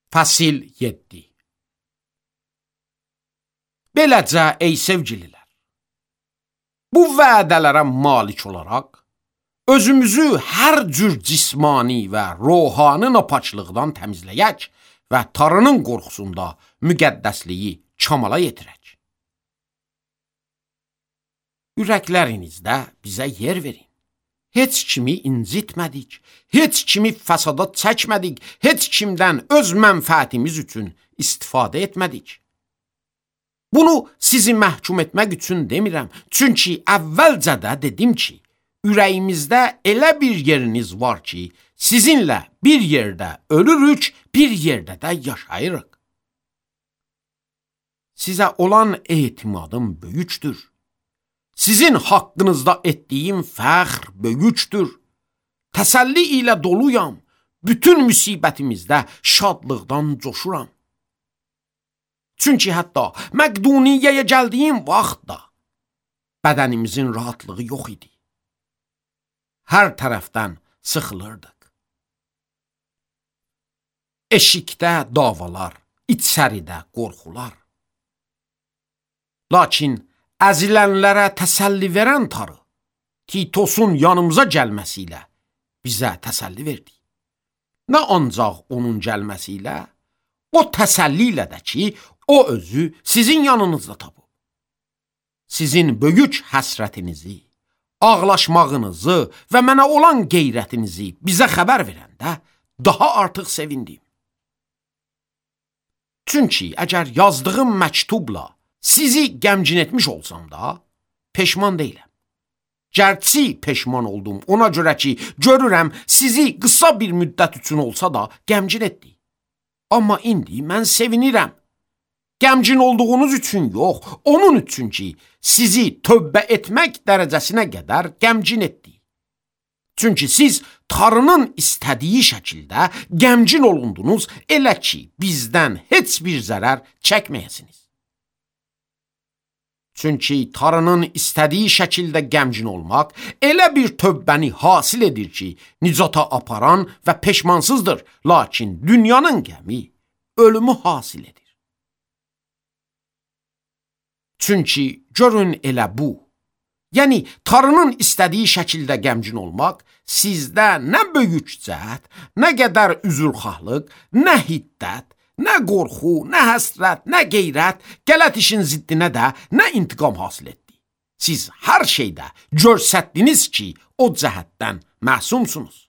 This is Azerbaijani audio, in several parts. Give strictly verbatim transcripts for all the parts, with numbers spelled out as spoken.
Fəsil yeddi. Beləcə, ey sevgililər, bu vədələrə malik olaraq, özümüzü hər cür cismani və ruhani napaçlıqdan təmizləyək və Tanrının qorxusunda müqəddəsliyi kamala yetirək. Ürəklərinizdə bizə yer verin. Heç kimi incitmədik, heç kimi fəsada çəkmədik, heç kimdən öz mənfəətimiz üçün istifadə etmədik. Bunu sizi məhkum etmək üçün demirəm, çünki əvvəlcədə dedim ki, ürəyimizdə elə bir yeriniz var ki, sizinlə bir yerdə ölürük, bir yerdə də yaşayırıq. Sizə olan etimadım böyükdür. Sizin haqqınızda etdiyim fəxr böyükdür. Təsəlli ilə doluyam. Bütün müsibətimizdə şadlıqdan coşuram. Çünki hətta Məqduniyyəyə gəldiyim vaxtda bədənimizin rahatlığı yox idi. Hər tərəfdən sıxılırdıq. Eşikdə davalar, içəridə qorxular. Lakin əzilənlərə təsəlli verən Tanrı, Titosun yanımıza gəlməsi ilə bizə təsəlli verdi. Nə ancaq onun gəlməsi ilə, o təsəlli ilə də ki, o özü sizin yanınızda tapıb. Sizin böyük həsrətinizi, ağlaşmağınızı və mənə olan qeyrətinizi bizə xəbər verəndə daha artıq sevindim. Çünki əgər yazdığım məktubla sizi qəmgin etmiş olsam da, peşman deyiləm. Gərçi peşman oldum, ona görə ki, görürəm sizi qısa bir müddət üçün olsa da qəmgin etdi. Amma indi mən sevinirəm. Qəmgin olduğunuz üçün yox, onun üçün ki, sizi tövbə etmək dərəcəsinə qədər qəmgin etdi. Çünki siz Tanrının istədiyi şəkildə qəmgin olundunuz, elə ki, bizdən heç bir zərər çəkməyəsiniz. Çünki Tanrının istədiyi şəkildə qəmgin olmaq elə bir tövbəni hasil edir ki, nicata aparan və peşmansızdır, lakin dünyanın qəmi ölümü hasil edir. Çünki görün elə bu, yəni Tanrının istədiyi şəkildə qəmgin olmaq sizdə nə böyük cəhd, nə qədər üzrxahlıq, nə hiddət, nə qorxu, nə həsrət, nə qeyrət, qələt işin ziddinə də nə intiqam hasil etdi. Siz hər şeydə görsətdiniz ki, o cəhətdən məsumsunuz.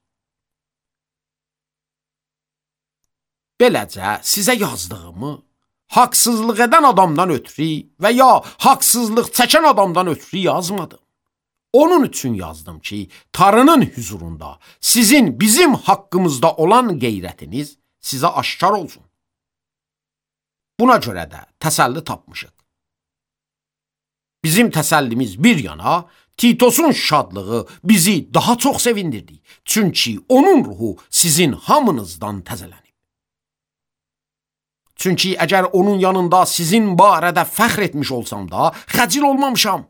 Beləcə sizə yazdığımı haqsızlıq edən adamdan ötürü və ya haqsızlıq çəkən adamdan ötürü yazmadım. Onun üçün yazdım ki, Tanrının huzurunda sizin bizim haqqımızda olan qeyrətiniz sizə aşkar olsun. Buna görə də təsəlli tapmışıq. Bizim təsəllimiz bir yana, Titosun şadlığı bizi daha çox sevindirdi. Çünki onun ruhu sizin hamınızdan təzələnib. Çünki əgər onun yanında sizin barədə fəxr etmiş olsam da, xəcil olmamışam.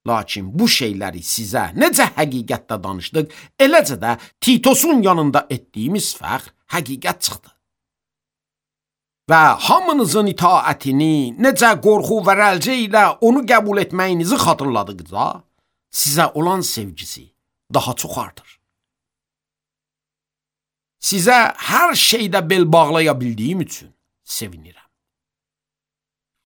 Lakin bu şeyləri sizə necə həqiqətdə danışdıq, eləcə də Titosun yanında etdiyimiz fəxr həqiqət çıxdı. Və hamınızın itaətini, necə qorxu və rəlcə ilə onu qəbul etməyinizi xatırladıqca, sizə olan sevgisi daha çox artır. Sizə hər şeydə bel bağlaya bildiyim üçün sevinirəm.